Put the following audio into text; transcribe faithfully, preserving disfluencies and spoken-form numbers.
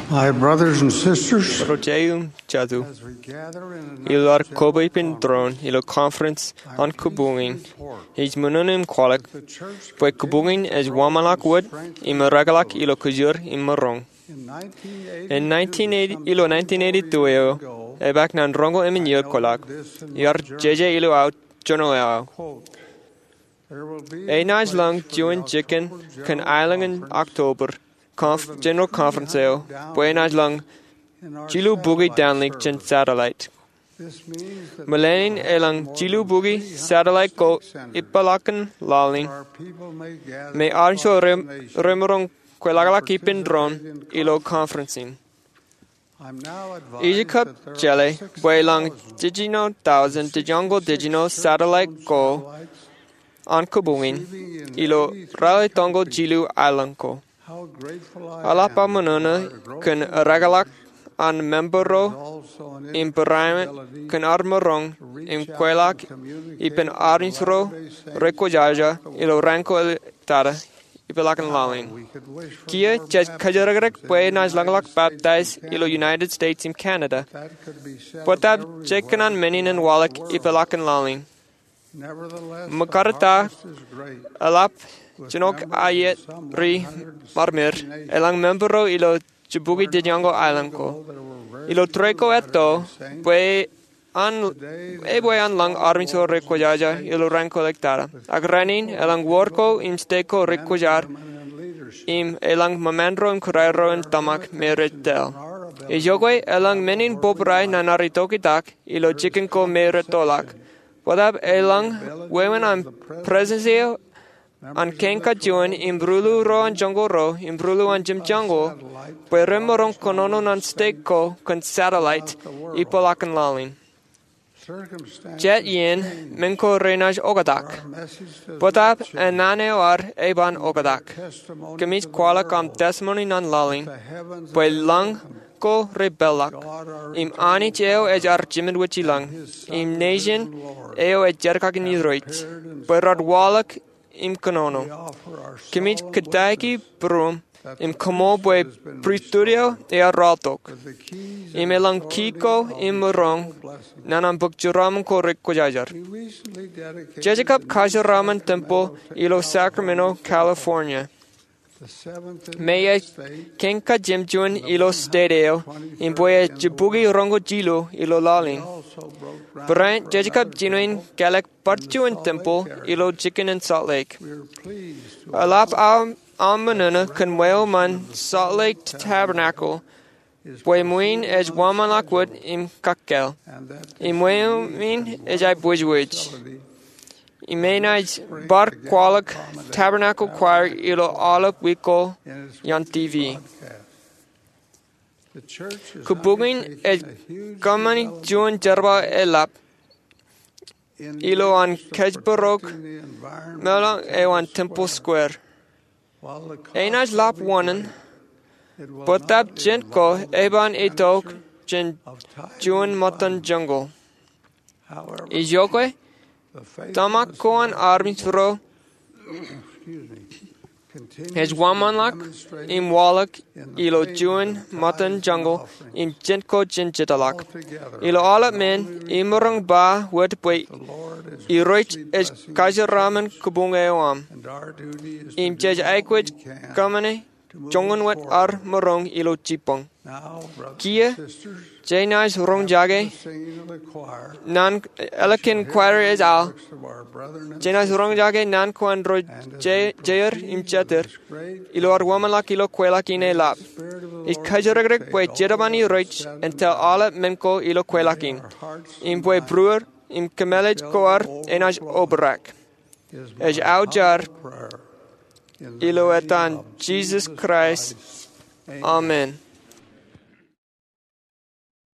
My brothers and sisters, ro jeiū im jatū, as we gather in an ilo ad koba ippān tōre in ilo conference an kōbuñin, ij ṃōṇōṇō im kwaḷọk bwe kōbuñin ej wōnṃaanḷọk wōt im ereḷọk ilo kōjūr im maroñ. In nineteen eighty, ilo nineteen eighty-two eo, epaak naan roñoul emān iiō kwaḷọk, iar jeje ilo aō joñoul eo aō. Enaaj lōñ juon jikin kōn aelōñ in October, conf-, General Conference eo, bwe enaaj lōñ jilu buki downlink jān satellite. Meḷeḷein elōñ jilu buki satellite ko ippaḷọkin laḷ in, me armej ro re-, remaroñ kweḷọkḷọk ippān tōre in ilo conference in. Ij kab jeḷā bwe elōñ jiljino thousand, jiljino thousand satellite ko an kōbuñin ilo ralitōñoul jilu aelōñ ko. Eḷap aō ṃōṇōṇō kōn ereḷọk an member ro im barāinwōt kōn ad maroñ im kweḷọk ippān armej ro rekwōjaja ilo raan ko ej tata ippaḷọkin laḷ in. Kiiō jej kōjatdikdik bwe enaaj lōñḷọk baptize ilo United States im Canada. Bōtab jekōṇaan men in en waḷọk ippaḷọkin laḷ in. Ṃōkaj ta, eḷap jinoin aet ri-marmar, elōñ member ro ilo jibuki jiljino aelōñ ko. Ilo tōre ko etto, bwe an, ebwe an lōñ armej ro rekwōjaja ilo raan ko ej tata. Ak rainin, elōñ wōr ko im state ko rekwōjar, im elōñ ṃōṃaan ro im kōrā ro in tōmak me rej tōl. Ej iọkwe elōñ men in bōbrae naan ad itok itak ilo jikin ko me rej tōlḷọk. Bōtab elōñ wāween an presidency eo an kain kajuon im ruḷu ro an joñoul ruo im ruḷu an jemjeñoul, bwe remaroñ kōnono naan state ko kōn satellite ippaḷọkin laḷ in. Jet iien men ko renaaj oktak. Bōtab naan eo ad eban oktak. Kōmij kwaḷọk aṃ testimony naan laḷ in, bwe lōñ ko repeḷḷọk, im Anij eo ej ad jemān wōjilōñ, im nation eo ej jerkakūn Irooj, bwe rej waḷọk im kōnono. Kōmij kōttāik būruōṃ im koṃṃool bwe pristut eo ear rọọltok, im elōñ key ko im maroñ naan an bōk jeraaṃṃan ko rekwōjarjar. Jej kab kajeraaṃṃan temple ilo Sacramento, California, me ej kain kajemjuon ilo state eo, im bwe ej jibuki roñoul jilu ilo laḷ in. Barāinwōt jej kab jino in kālōk bar juon temple ilo jikin in Salt Lake. Eḷap aō, aō ṃōṇōṇō kōn ṃweo ṃōn Salt Lake Tabernacle, bwe ṃwiin ej wōnṃaanḷọk wōt im kakkāāl, im ṃweo in ej aō bwijbwij, im enaaj bar kwaḷọk Tabernacle Choir ilo aolep wiik ko iaan T V. Kōbuñin ej kōṃṃani juon jerbal eḷap ilo an kōjparok meḷeḷe eo an Temple Square. Enaaj lap wōṇāān, bōtab jen ko eban itok jān juon ṃōttan jungle. Ij iọkwe, tōmak ko an armej ro ej wōnṃaanḷọk im waḷọk ilo juon ṃōttan jungle im jen ko jen jetōḷọk. Ilo aolep men, imaroñ ba wōt bwe Irooj ej kajeraaṃṃan kōbuñ eo aṃ, im jej aikuj kōṃṃane joñan wōt ad maroñ ilo jibboñ. Kiiō, jenaaj roñjake naan, ālikin choir ej al, jenaaj roñjake naan ko an ro je-, jeir im jeter, ilo ad wōnṃaanḷọk ilo kweilọk in eḷap. Ij kōjatdikdik bwe Jetōb an Irooj en tōl aolep men ko ilo kweilọk in, im bwe būruod im kōmālij ko ad enaaj obrak. Ej aō jar ilo etan Jisōs Kraist. Amen.